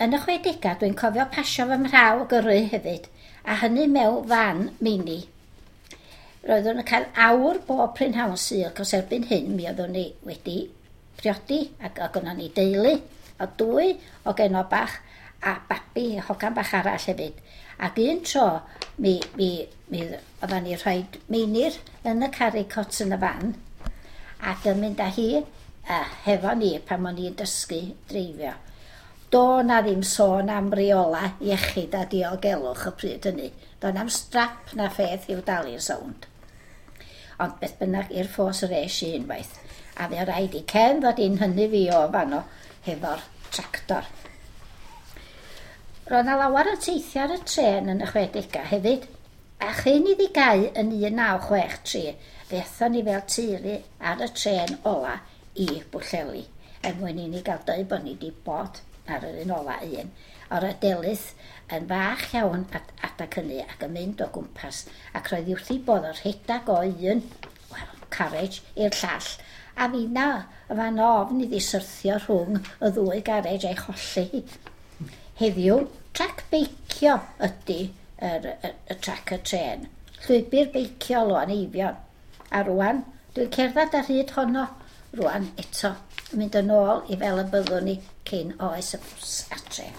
Yn y 60au dwi'n cofio pasio fy mhraw gyrru hefyd, a hynny mewn fan mini. Roeddwn yn cael awr bob prynhawn Sul, cos erbyn hyn mi oeddwn ni wedi priodi ac oedd gynnon ni deulu o dwy o genod bach a babi, hogan bach arall hefyd. Ac un tro mi, mi, mi oeddan ni rhoi Meinir yn y carrycot yn y fan ac yn mynd â hi hefo ni pan o'n i'n dysgu dreifio. Do 'na ddim sôn am reola iechyd a diogelwch y pryd hynny. Do na'm strap na pheth i'w dal i'n sownd. Ond beth bynnag, i'r ffos yr es i unwaith. A fe raid i Ken ddod i'n hynny fi o fanno hefo'r tractor. Roedd 'na lawer yn teithio ar y trên yn y 60au hefyd, a chyn iddi gau yn 1963, fe aethon ni fel teulu ar y trên ola i Bwllheli, er mwyn i ni gael dweud bod ni wedi bod ar yr un ola un. O'r Delyth yn fach iawn at adag hynny ac yn mynd o gwmpas, ac roedd hi wrth ei bodd o rhedag o un, wel, carriage i'r llall, a finna y fan ofn iddi syrthio rhwng y ddwy garej a'i cholli hi. Heddiw, trac beicio ydy yr, y, y trac y trên. Llwybr beicio Lôn Eifion. A rwan, dwi'n cerdded ar hyd honno rwan eto, yn mynd yn ôl i fel y byddwn ni cyn oes y bws a'r trên.